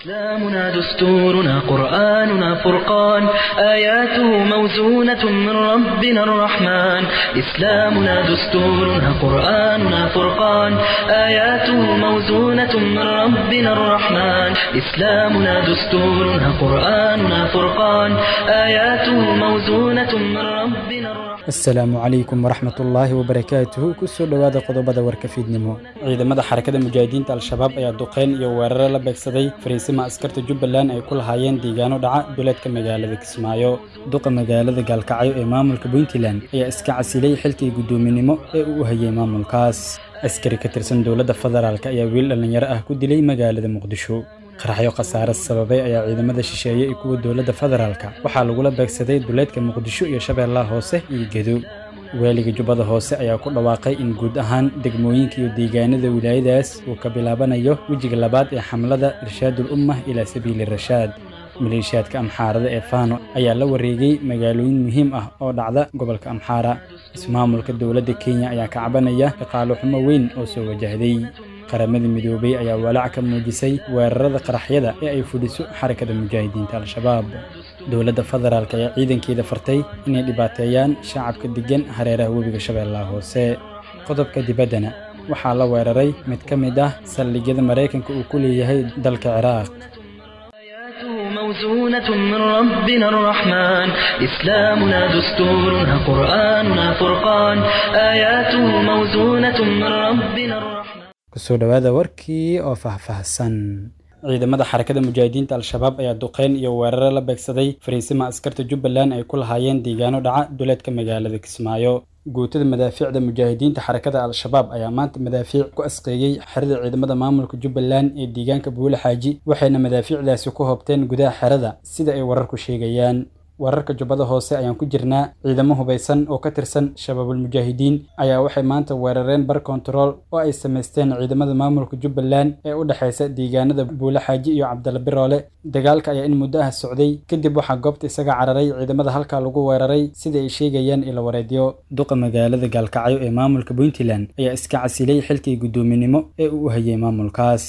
إسلامنا دستورنا قرآننا فرقان آياته موزونة من ربنا الرحمن إسلامنا دستورنا قرآننا فرقان آياته موزونة من ربنا الرحمن إسلامنا دستورنا قرآننا فرقان آياته موزونة من ربنا الرحمن. Asalaamu calaykum waraxmatullaahi wabarakaatuhu. Kusoo dhowaada qodobada warka fiidnimo. Ciidamada Xarakada Mujaahidiinta Al-Shabaab ayaa duqeyn iyo weeraro la beegsaday fariisima askarta Jubbaland ay ku lahaayeen deegaano dhaca duleedka magaalada Kismaayo. Duqa magaalada Gaalkacyo ee maamulka Puntland ayaa iska casilay xilkii guddoominimo ee uu u hayay maamulkaas. Askari ka tirsan dowladda federaalk ayaa wiil dhallinyaro ah ku dilay magaalada Muqdisho. Qaraxyo khasaare sababay ayaa ciidamada shisheeye iyo kuwa dowladda federaalka waxaa lagula beegsaday duleedka Muqdisho iyo Shabeellaha Hoose iyo Gedo. Waaliga Jubbada Hoose ayaa ku dhawaaqay in guud ahaan degmooyinka iyo deegaanada wilaayadaas uu ka bilaabanayo wejiga labaad ee xamlada Irshaadul Ummah ilaa Sabiili Rashaad. Maleeshiyaadka Amxaarada ee Faano ayaa la wareegay magaalooyin muhiim ah oo dhacda gobolka Amxaara. Ismaamulka dowladda Kenya ayaa ka cabanaya dhaqaale xumo weyn oo soo wajahday. Qaramada Midoobay ayaa walaac ka muujisay weerarada qaraxyada ee ay fuliso Xarakada Mujaahidiinta Al-Shabaab. Dowladda federaalk ayaa ciidankeeda fartay inay dhibaateeyaan shacabka deggan hareeraha webiga Shabeellaha Hoose. Qodobka dibaddana waxaa la weeraray mid ka mid ah saldhigyada Maraykanka uu ku leeyahay dalka Ciraaq. آياته موزونة من ربنا الرحمن إسلامنا دستورنا قرآننا فرقان آياته موزونة من ربنا الرحمن. Kusoo dhowaada warkii oo faahfaahsan. Ciidamada Xarakada Mujaahidiinta Al-Shabaab ayaa duqeyn iyo weeraro la beegsaday fariisima askarta Jubbaland ay ku lahaayeen deegaano dhaca duleedka magaalada Kismaayo. Guutada madaafiicda mujaahidiinta Xarakada Al-Shabaab ayaa maanta madaafiic ku asqeeyey xerada ciidamada maamulka Jubbaland ee deegaanka Buule Xaaji, waxayna madaafiicdaasi ku hobteen gudaha xerada, sida ay wararku sheegayaan. Wararka Jubbada Hoose ayaan ku jirnaa. Ciidamo hubaysan oo ka tirsan Shabaabul Mujaahidiin ayaa waxay maanta weerareen bar kontarool oo ay samaysteen ciidamada maamulka Jubbaland ee u dhexeysa deegaanada Buule Xaaji iyo Cabdalla Biroole. Dagaalka ayaa in muddo ah socday, kadib waxaa goobta isaga cararay ciidamada halkaa lagu weeraray, sida ay sheegayaan ilo wareedyo. Duqa magaalada Gaalkacyo ee maamulka Puntland ayaa iska casilay xilkii guddoominimo ee uu u hayay maamulkaas.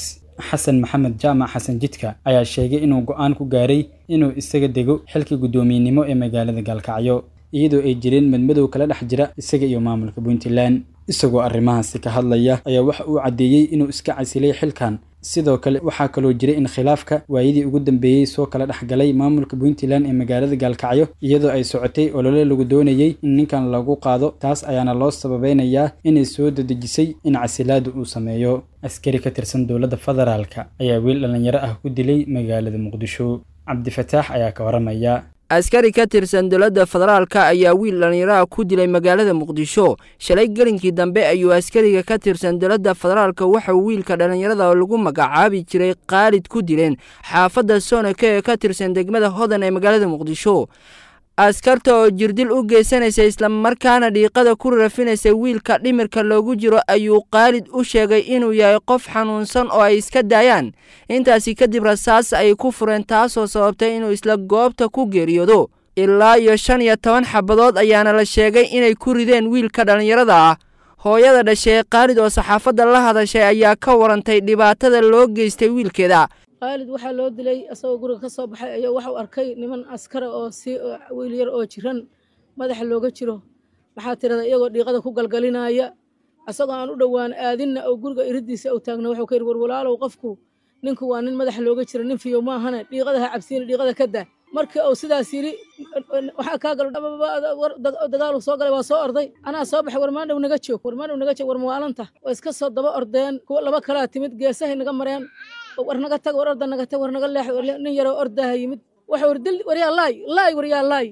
Xasan Maxamed Jaamac Xasan Jidka ayaa sheegay inuu go'aan ku gaaray inuu isaga dego xilkii guddoomiyenimo ee magaalada Gaalkacyo, iyadoo ay jireen madmadow kala dhex jira isaga iyo maamulka Puntland. Isagoo arrimahaasi ka hadlaya ayaa waxa uu caddeeyey inuu iska casilay xilkan. Sidoo kale waxaa kaloo jiray in khilaafka waayadii ugu dambeeyey soo kala dhex galay maamulka Puntland ee magaalada Gaalkacyo, iyadoo ay socotay olole lagu doonayey in ninkan lagu qaado. Taas ayaana loo sababeynayaa inay soo dedejisay in casilaadu uu sameeyo. Askari ka tirsan dowladda federaalka ayaa wiil dhallinyaro ah ku dilay magaalada Muqdisho. Cabdifataax ayaa ka waramaya. Askari ka tirsan dowladda federaalka ayaa wiil dhallinyaraha ku dilay magaalada Muqdisho. Shalay gelinkii dambe ayuu askariga ka tirsan dowladda federaalka waxauu wiilka dhallinyarada lagu magacaabi jiray Khaalid ku dileen xaafadda Soonaka ee ka tirsan degmada Hodan ee magaalada Muqdisho. Askarta oo jirdil u geysanaysa islamarkaana dhiiqada ku rafinaysa wiilka dhimirka loogu jiro ayuu Khaalid u sheegay inuu yahay qof xanuunsan oo ay iska daayaan. Intaasi kadib rasaas ay ku fureen, taasoo sababtay inuu isla goobta ku geeriyoodo. Ilaa iyo 15 xabadood ayaana la sheegay inay ku rideen wiilka dhallinyarada ah. Hooyada dhashay Khaalid oo saxaafadda la hadashay ayaa ka warantay dhibaatada loo geystay wiilkeeda. Khaalid waxaa loo dilay asagoo guriga ka soo baxay ayaa waxuu arkay niman askara oo si wiil yar oo jiran madaxa looga jiro, maxaa tirada, iyagoo dhiiqada ku galgalinaya. Asagoo aan u dhowaan aadinna oo guriga iridiisa u taagna wuxuu ka yidhi, war walaalow, qofku ninku waa nin madaxa looga jiro, nin fiyo maahane, dhiiqada ha cabsiina, dhiiqada ka daa. Markii uu sidaas yidhi, waxaa kaa galo dagaalu soo galay, waa soo orday, anaa soo baxay, war maandhow naga joog, war maandhow naga joog, war mawaalanta. Waa iska soo daba ordeen, kuwa laba kalaa timid, geesahay naga mareen, war naga tag, war orda naga tag, war naga leex. Nin yaroo ordaha yimid, waxa war dil, waryaa laay laay, waryaa laay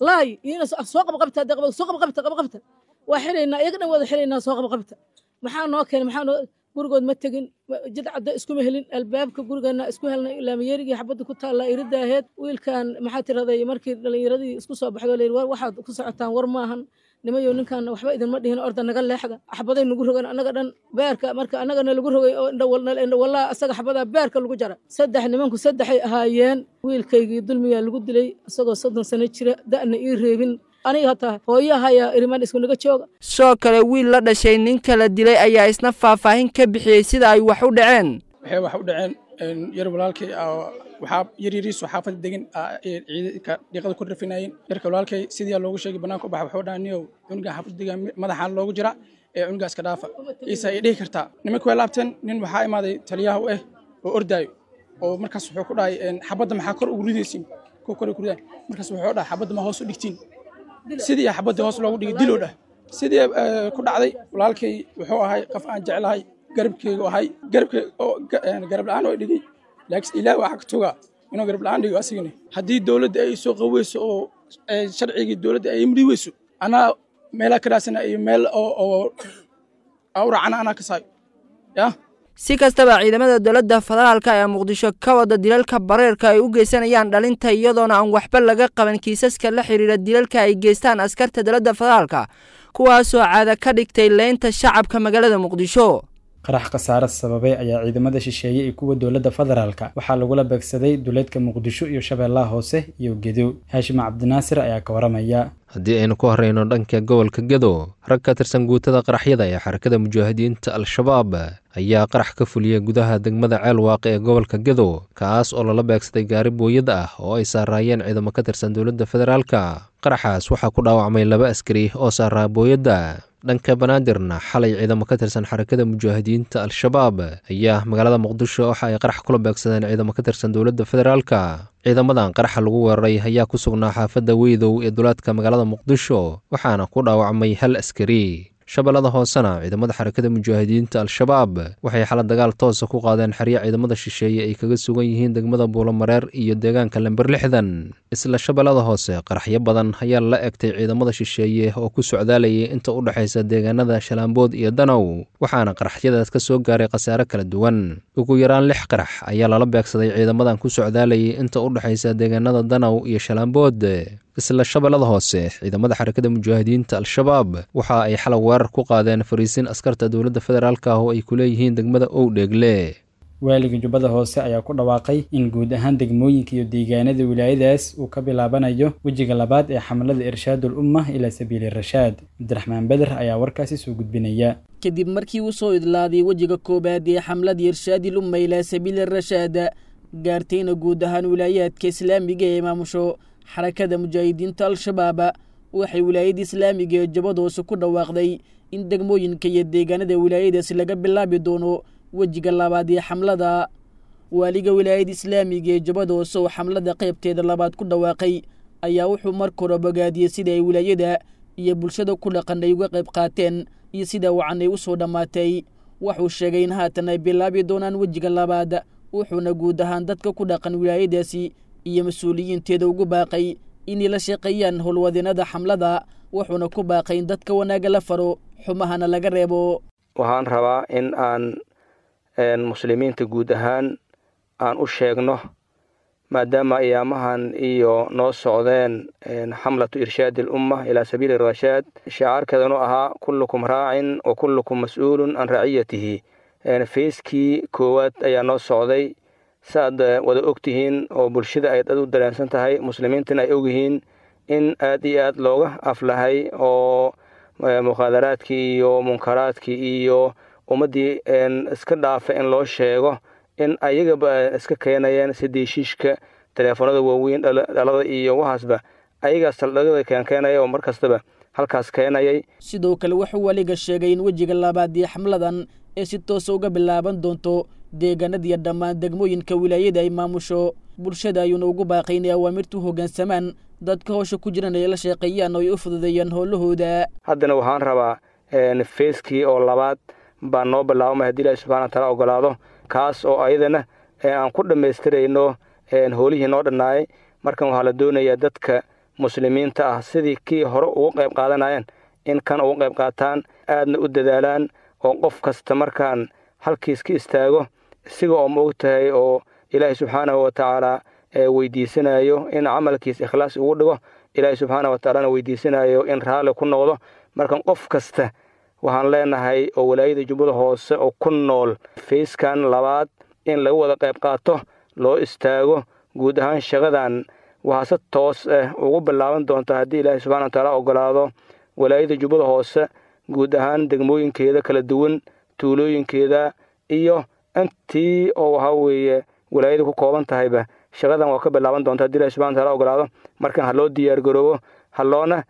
laay, iina soo qabqabta, soo qabqabta, qabqabta, waa xiraynaa iyaga dhan, wada xiraynaa, soo qabqabta. Maxaa noo keenay? Maxaa noo gurigood ma tegin, jid cadda iskuma helin, albaabka gurigeena isku helnay, laamiyeerigii xabadda ku taallaa iridaaheed. Wiilkan, maxaa tiraday, markii dhallinyaradii isku soo baxdo layidhi, war waxaad ku socotaan war maahan nimayo, ninkan waxba idinma dhihin, orda naga leexda. Xabaday nagu rogan annaga dhan beerka, marka annagana lagu rogay oo indhawallaa asaga xabadaa beerka lagu jara. Saddex nimanku saddexay ahaayeen. Wiilkaygii dulmigaa lagu dilay isagoo 30 sano jira, da'na ii reebin, aniga hataa hooyahayaa irimaan isku naga jooga. Sidoo kale wiil la dhashay ninka la dilay ayaa isna faahfaahin ka bixiyey sida ay wax u dhaceen. Waxay wax u dhaceen, Yar walaalkay waxaa yaryariisu xaafadda degan ciidanka dhiiqada ku rafinayeen. Yarka walaalkay sidii loogu sheegay bannaanka u baxa, wuxuu dhahay niyow cunugan xaafadda degan madaxaan loogu jira ee cunugaas ka dhaafa iisa ay dhihi kartaa. Nimanka way laabteen. Nin waxaa imaaday taliyaha u ah oo ordaayo oo markaas wuxuu ku dhahay xabadda maxaa kor ugu ridaysiin kuwa kor ku ridaan. Markaas wuxuu dhahay xabadda ma hoos u dhigtiin. Sidii xabadda hoos loogu dhigay diloo dhah sidii ku dhacday. Walaalkay wuxuu ahay qof aan jeclahay, garabkeygu ahay, garabkey oo garab la'aan oo dhigay, laakiin ilaah waxaa ka tugaa inuu garab la'aan dhigo asigana. Haddii dowladda ay soo qaweyso oo sharcigii dowladda ay imri weyso, anaa meelaa ka raadsana iyo meel oo awracana anaa ka saayo ya. Si kastaba, ciidamada dowladda federaalka ee Muqdisho ka wada dilalka bareerka ay u geysanayaan dhalinta, iyadoona aan waxba laga qaban kiisaska la xiriira dilalka ay geystaan askarta dowladda federaalka, kuwaasoo caada ka dhigtay leynta shacabka magaalada Muqdisho. Qarax khasaare sababay ayaa ciidamada shisheeye iyo kuwa dowladda federaalka waxaa lagula beegsaday duleedka Muqdisho iyo Shabeellaha Hoose iyo Gedo. Haashim Cabdinaasir ayaa ka waramaya. Haddii aynu ku horeyno dhanka gobolka Gedo, rag ka tirsan guutada qaraxyada ee Xarakada Mujaahidiinta Al-Shabaab ayaa qarax ka fuliyey gudaha degmada Ceelwaaqe ee gobolka Gedo, kaas oo lala beegsaday gaari booyad ah oo ay saaraayeen ciidamo ka tirsan dowladda federaalka. Qaraxaas waxaa ku dhaawacmay 2 askari oo saaraa booyadda. Dhanka Banaadirna, xalay ciidamo ka tirsan Xarakada Mujaahidiinta Al-Shabaab ayaa magaalada Muqdisho waxa ay qarax kula beegsadeen ciidamo ka tirsan dowladda federaalka. Ciidamadan qaraxa lagu weeraray ayaa ku sugnaa xaafadda Weydow ee duleedka magaalada Muqdisho, waxaana ku dhaawacmay 1 askari. Shabeellada Hoosena, ciidamada Xarakada Mujaahidiinta Al-Shabaab waxay xala dagaal toosa ku qaadeen xeryo ciidamada shisheeye ay kaga sugan yihiin degmada Buulomareer iyo deegaanka Lember 60. Isla Shabeellada Hoose, qaraxyo badan ayaa la egtay ciidamada shisheeye oo ku socdaalayay inta u dhexaysa deegaanada Shalaambood iyo Danow, waxaana qaraxyadaas ka soo gaaray khasaare kala duwan. Ugu yaraan 6 qarax ayaa lala beegsaday ciidamadan ku socdaalayay inta u dhexaysa deegaanada Danow iyo Shalaambood. Isla Shabeellada Hoose, ciidamada Xarakada Mujaahidiinta Al-Shabaab waxa ay xalay weerar ku qaadeen fariisin askarta dowladda federaalka ah oo ay ku leeyihiin degmada Owdheegle. Waaliga Jubbada Hoose ayaa ku dhawaaqay in guud ahaan degmooyinka iyo deegaanada wilaayadaas uu ka bilaabanayo wejiga labaad ee xamlada Irshaadul Umma ilaa Sabiili Rashaad. Cabdiraxmaan Beder ayaa warkaasi soo gudbinaya. Kadib markii uu soo idlaaday wejiga koowaad ee xamladii Irshaadil Umma ilaa Sabiili Rashaad, gaartayna guud ahaan wilaayaadka islaamiga ee maamusho Xarakada Mujaahidiinta Al-Shabaab, waxay wilaayada islaamiga ee Jubbada Hoose ku dhawaaqday in degmooyinka iyo deegaanada wilaayadaasi laga bilaabi doono wejiga labaad ee xamlada. Waaliga wilaayada islaamiga ee Jubbada Hoose oo xamlada qaybteeda labaad ku dhawaaqay ayaa wuxuu marka hore bogaadiyey sida ay wilaayada iyo bulshada ku dhaqan ay uga qayb qaateen iyo sida wacan ay u soo dhammaatay. Wuxuu sheegay in haatan ay bilaabi doonaan wejiga labaad, wuxuuna guud ahaan dadka ku dhaqan wilaayadaasi iyo mas-uuliyiinteeda ugu baaqay inay la shaqeeyaan howlwadeenada xamlada, wuxuuna ku baaqay in dadka wanaagga la faro, xumahana laga reebo. Waxaan rabaa in aan muslimiinta guud ahaan aan u sheegno, maadaama ayaamahan iyo noo socdeen xamlatu irshaadi alumma ilaa sabiili rashaad, shicaarkeedanu ahaa kullukum raacin wa kullukum mas-uulun can raciyatihi. Feyskii koowaad ayaa noo socday, saaad wada og tihiin oo bulshada ay dad u dareensan tahay, muslimiintana ay ogyihiin in aad iyo aad looga aflahay oo mukhaadaraadkii iyo munkaraadkii iyo ummaddii iska dhaafa in loo sheego in ayagaba iska keenayeen sidii shiishka, teleefoonada waaweyn, dhalada iyo waxaasba ayagaa saldhigyada keenkeenaya oo mar kastaba halkaas keenayay. Sidoo kale wuxuu waliga sheegay in wejiga labaad ee xamladan ee si toosa uga bilaaban doonto deegaanadiiyo dhammaan degmooyinka wilaayada ay maamusho. Bulshada ayuuna ugu baaqay inay awaamirtu hoggaansamaan, dadka howsha ku jiran ay la shaqeeyaan oo ay u fududeeyaan howlahooda. Haddana waxaan rabaa feeskii oo labaad baa noo bilaabmay haddii Ilaahi subxana wataala ogolaado, kaas oo ayadana aan ku dhammaystirayno howlihii noo dhannaayay. Markan waxaa la doonayaa dadka muslimiinta ah sidii kii hore ugu qayb qaadanayeen in kan ugu qayb qaataan, aadna u dadaalaan, oo qof kasta markaan halkiis ka istaago isiga oo ma og tahay oo Ilaahay subxaanahu wa tacaala weydiisanayo in camalkiis ikhlaas ugu dhigo, Ilaahay subxaanahu wa tacaalana weydiisanayo in raalli ku noqdo. Markan qof kasta waxaan leenahay oo walaayada Jubbada Hoose oo ku nool feyskan labaad in laga wada qayb qaato, loo istaago guud ahaan shaqadan. Waxaa si toos ah ugu bilaaban doonta haddii Ilaahay subxana wa tacaala ogolaado walaayada Jubbada Hoose guud ahaan degmooyinkeeda kala duwan, tuulooyinkeeda iyo Intii oo waxaa weeye walaayadu ku kooban tahayba shaqadan waa ka bilaaban doonta haddii Ilahi subxana wataala ogolaado. Markan ha loo diyaargaroobo, ha loona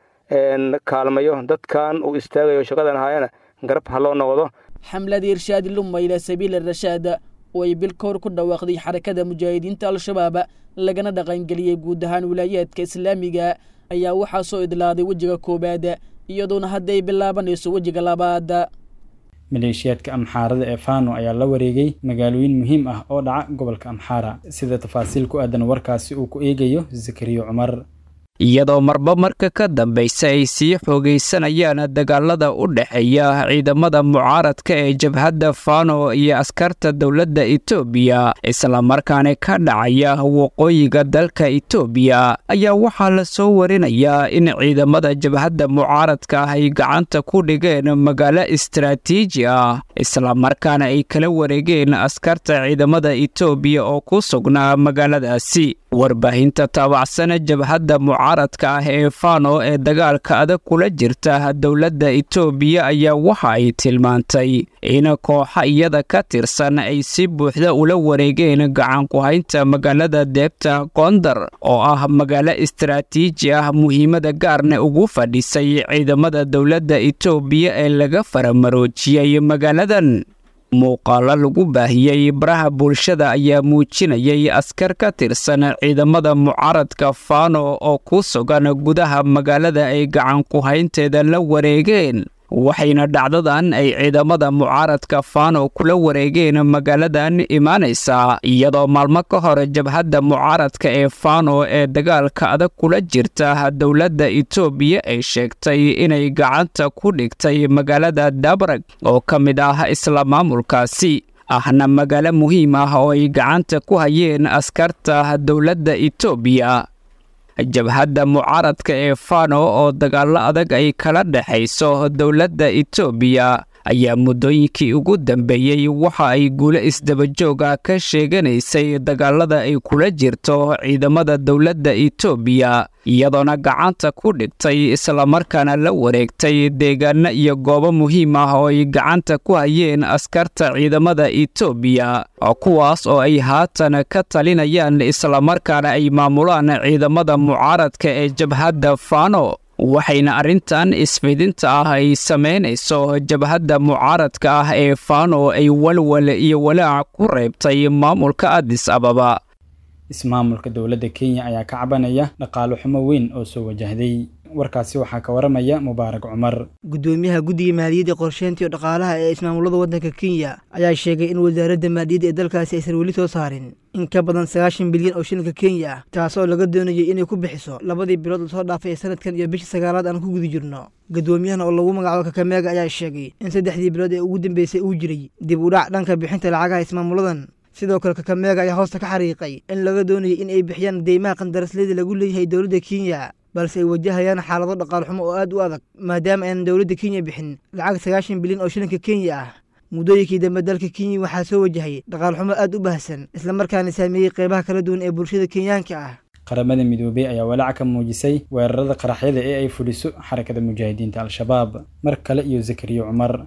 kaalmayo dadkan uu istaagayo shaqadan haayana garab ha loo noqdo. Xamladii Irshaadi Lumma ilaa Sabiili Rashaad oo ay bil ka hor ku dhawaaqday Xarakada Mujaahidiinta Al-Shabaab, lagana dhaqangeliyey guud ahaan wilaayaadka islaamiga, ayaa waxaa soo idlaaday wejiga koowaad, iyadoona hadda ay bilaabanayso wejiga labaad. Maleeshiyaadka Amxaarada ee Fano ayaa la wareegay magaalooyin muhiim ah oo dhaca gobolka Amxaara, sida tafaasiil ku aadan warkaasi uu ku eegayo Zakariyo Cumar. Iyadoo marba marka ka dambaysa ay sii xoogaysanayaan dagaalada u dhexeeya ciidamada mucaaradka ee jabhadda Fano iyo askarta dowladda Itoobiya, islamarkaana ka dhacaya waqooyiga dalka Itoobiya, ayaa waxaa la soo warinayaa in ciidamada jabhadda mucaaradka ah ay gacanta ku dhigeen magaalo istaraatiiji ah, islamarkaana ay kala wareegeen askarta ciidamada Itoobiya oo ku sugnaa magaaladaasi. Warbaahinta taabacsan jabhadda mucaaradka ah ee Fano ee dagaalka adag kula jirta dowladda Itoobiya ayaa waxa ay tilmaantay in kooxa iyada ka tirsan ay si buuxda ula wareegeen gacan ku-haynta magaalada Deebta Koondar, oo ah magaalo istaraatiiji ah, muhiimada gaarna ugu fadhisay ciidamada dowladda Itoobiya ee laga faramaroojiyey magaaladan. Muuqaalo lagu baahiyey baraha bulshada ayaa muujinayay askar ka tirsan ciidamada mucaaradka Fano oo ku sugan gudaha magaalada ay gacan ku-haynteeda la wareegeen, waxayna dhacdadan ay ciidamada mucaaradka Fano kula wareegeen magaaladan imaanaysaa iyadoo maalmo ka hor jabhadda mucaaradka ee Fano ee dagaalka adag kula jirta dowladda Itoobiya ay sheegtay inay gacanta ku dhigtay magaalada Dabrag oo ka mid ah isla maamulkaasi, ahna magaalo muhiim ah oo ay gacanta ku hayeen askarta dowladda Itoobiya. Jabhadda mucaaradka ee Fano oo dagaallo adag ay kala dhexayso dowladda Itoobiya ayaa muddooyinkii ugu dambeeyey waxa ay guulo isdabajoog ah ka sheeganaysay dagaalada ay kula jirto ciidamada dowladda Itoobiya, iyadoona gacanta ku dhigtay islamarkaana la wareegtay deegaano iyo goobo muhiim ah oo ay gacanta ku hayeen askarta ciidamada Itoobiya, kuwaas oo ay haatan ka talinayaan islamarkaana ay maamulaan ciidamada mucaaradka ee jabhadda Fano. Waxayna arrintan isfidinta ah ay samaynayso jabhadda mucaaradka ah ee Fano ay walwal iyo walaac ku reebtay maamulka Addis Ababa. Ismaamulka dowladda Kenya ayaa ka cabanaya dhaqaale xumo weyn oo soo wajahday. Warkaasi waxaa ka waramaya Mubaarak Cumar. Gudoomiyaha guddiga maaliyadda, qorsheynta iyo dhaqaalaha ee ismaamulada waddanka Kenya ayaa sheegay in wasaaradda maaliyadda ee dalkaasi aysan weli soo saarin in ka badan 90 bilyan oo shilinka Kenya ah, taasoo laga doonayay inay ku bixiso labadii bilood lasoo dhaafay ee sanadkan iyo bishii sagaalaad aan ku guda jirno. Gudoomiyahan oo lagu magacaabo Kakameega ayaa sheegay in saddexdii bilood ee ugu dambeysay uu jiray dib u dhac dhanka bixinta lacagaha ismaamuladan. Sidoo kale Kakameega ayaa hoosta ka xariiqay in laga doonayay in ay bixiyaan deymaha qandaraasleyda lagu leeyahay dowladda Kenya, balse ay wajahayaan xaalado dhaqaal xumo oo aad u adag, maadaama aanan dowladda Kenya bixin lacag 90 bilyan oo shilinka Kenya ah. Muddooyinkii dambe dalka Kenya waxaa soo wajahay dhaqaal xumo aad u baahsan, islamarkaana saameeyey qeybaha kala duwan ee bulshada Kenyaanka ah. Qaramada Midoobay ayaa walaac ka muujisay weerarada qaraxyada ee ay fuliso Xarakada Mujaahidiinta Al-Shabaab. Mar kale iyo Zakariyo Cumar.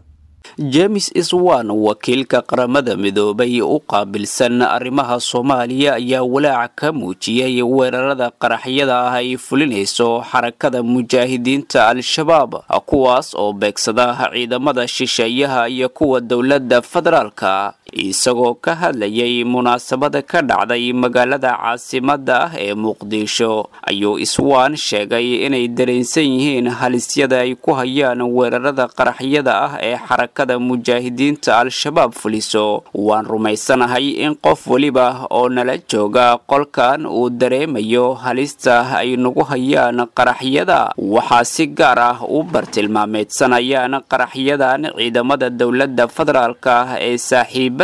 James Iswan, wakiilka Qaramada Midoobay u qaabilsan arrimaha Soomaaliya, ayaa walaac ka muujiyey weerarada qaraxyada ah ay fulinayso Xarakada Mujaahidiinta Al-Shabaab, kuwaas oo beegsada ciidamada shisheeyaha iyo kuwa dowladda federaalka. Isagoo ka hadlayay munaasabada ka dhacday magaalada caasimadda ah ee Muqdisho, ayuu Iswaan sheegay inay dareensan yihiin halisyada ay ku hayaan weerarada qaraxyada ah ee Xarakada Mujaahidiinta Al-Shabaab fuliso. Waan rumaysanahay in qof weliba oo nala jooga qolkan uu dareemayo halista ay nagu hayaan qaraxyada. Waxaa si gaar ah u bartilmaameedsanayaan qaraxyadan ciidamada dowladda federaalka ah ee saaxiib,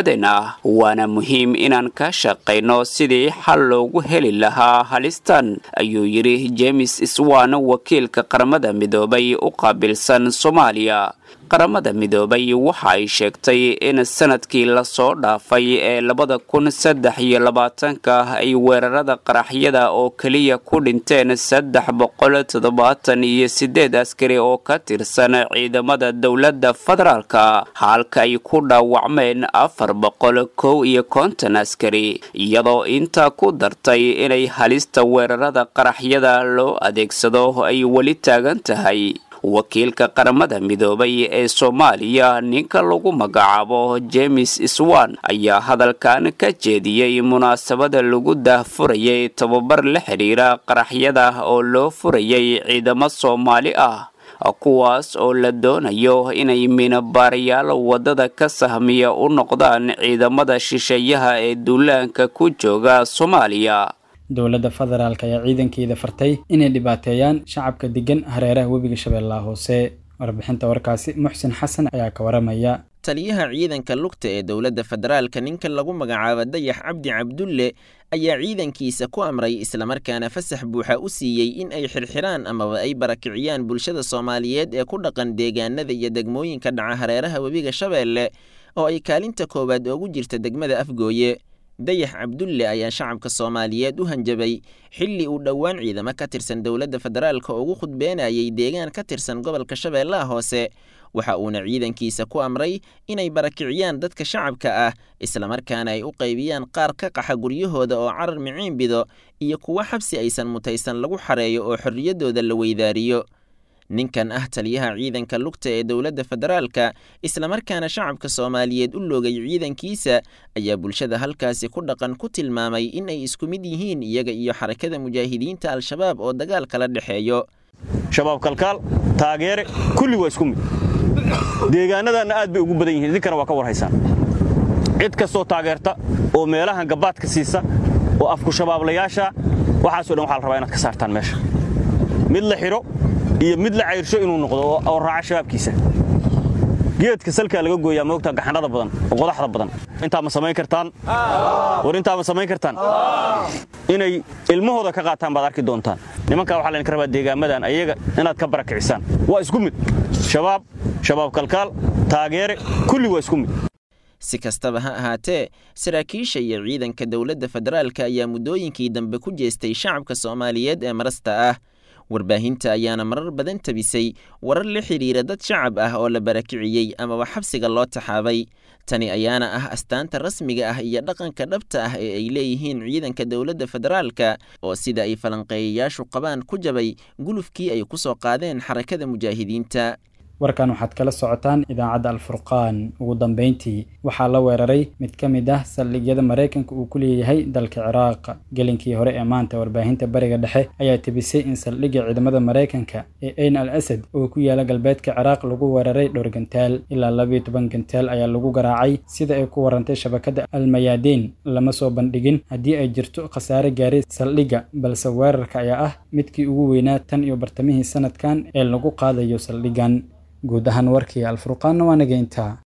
waana muhiim inaan ka shaqayno sidii xal loogu heli lahaa halistan, ayuu yidhi James Iswan, wakiilka Qaramada Midoobay u qaabilsan Soomaaliya. Qaramada Midoobay waxa ay sheegtay in sanadkii lasoo dhaafay ee 2023 ay weerarada qaraxyada oo keliya ku dhinteen 378 askari oo ka tirsan ciidamada dowladda federaalka, halka ay ku dhaawacmeen 451 askari, iyadoo intaa ku dartay inay halista weerarada qaraxyada loo adeegsado ay weli taagan tahay. Wakiilka Qaramada Midoobay ee Soomaaliya, ninka lagu magacaabo James Swan, ayaa hadalkan ka jeediyey munaasabada lagu daahfurayay tababar la xidhiira qaraxyada oo loo furayay ciidamo Soomaali ah, kuwaas oo la doonayo inay minabaarayaal waddada ka sahmiya u noqdaan ciidamada shisheeyaha ee duulaanka ku jooga Soomaaliya. Dowladda federaalk ayaa ciidankeeda fartay inay dhibaateeyaan shacabka degan hareeraha webiga Shabeellaha Hoose. Warbixinta warkaasi Muxsin Xasan ayaa ka waramaya. Taliyaha ciidanka lugta ee dowladda federaalka, ninka lagu magacaabo Dayax Cabdi Cabdulle, ayaa ciidankiisa ku amray islamarkaana fasax buuxa u siiyey in ay xirxiraan amaba ay barakiciyaan bulshada Soomaaliyeed ee ku dhaqan deegaanada iyo degmooyinka dhaca hareeraha webiga Shabeelle, oo ay kaalinta koowaad oogu jirta degmada Afgooye. Dayax Cabdulle ayaa shacabka Soomaaliyeed u hanjabay xilli uu dhowaan ciidamo ka tirsan dowladda federaalka ugu khudbeenayay deegaan ka tirsan gobolka Shabeellaha Hoose. Waxa uuna ciidankiisa ku amray inay barakiciyaan dadka shacabka ah, islamarkaana ay u qaybiyaan qaar ka qaxa guryahooda oo carar miciin bido, iyo kuwo xabsi aysan mutaysan lagu xareeyo oo xorriyaddooda la weydaariyo. Ninkan ah taliyaha ciidanka lugta ee dowladda federaalka, islamarkaana shacabka Soomaaliyeed u loogay ciidankiisa, ayaa bulshada halkaasi ku dhaqan ku tilmaamay in ay isku mid yihiin iyaga iyo Xarakada Mujaahidiinta Al-Shabaab oo dagaal kala dhexeeyo. Shabaab kalkaal taageere kulli waa isku mid, deegaanadaanna aad bay ugu badan yihiin, idinkana waa ka war haysaan. Cid kastoo taageerta oo meelahan gabaadka siisa oo afku shabaablayaasha, waxaasoo dhan waxaa la rabaa inaad ka saartaan meesha. Mid la xidho iyo mid la cayrsho inuu noqdo oo raaca shabaabkiisa. Geedka salkaa laga gooyaa moogta gaxanada badan oo qodaxda badan. Intaa ma samayn kartaan? War intaa ma samayn kartaan? Inay ilmahooda ka qaataan baad arki doontaan. Nimankaa waxaa laydinka rabaa deegaamadan ayaga inaad ka barakicisaan. Waa isku mid, shabaab, shabaab kalkaal taageere kulli waa isku mid. Si kastaba ha ahaatee, saraakiisha iyo ciidanka dowladda federaalka ayaa muddooyinkii dambe ku jeestay shacabka Soomaaliyeed ee marasta ah. Warbaahinta ayaana marar badan tabisay warar la xidhiira dad shacab ah oo la barakiciyey amaba xabsiga loo taxaabay. Tani ayaana ah astaanta rasmiga ah iyo dhaqanka dhabta ah ee ay leeyihiin ciidanka dowladda federaalka, oo sida ay falanqeeyayaashu qabaan ku jabay gulufkii ay ku soo qaadeen Xarakada Mujaahidiinta. Warkan waxaad kala socotaan idaacadda Alfurqaan. Ugu dambeyntii, waxaa la weeraray mid ka mid ah saldhigyada Maraykanka uu ku leeyahay dalka Ciraaq. Gelinkii hore ee maanta, warbaahinta Bariga Dhexe ayaa tebisay in saldhigga ciidamada Maraykanka ee Ayn al Asad oo ku yaala galbeedka Ciraaq lagu weeraray dhowr gantaal. Ilaa 12 gantaal ayaa lagu garaacay, sida ay ku warantay shabakadda Almayaadiin. Lama soo bandhigin haddii ay jirto khasaare gaaray saldhigga, balse weerarka ayaa ah midkii ugu weynaa tan iyo bartamihii sanadkan ee lagu qaadayo saldhiggan. Guud ahaan warkii Alfurqaanna waa naga intaa.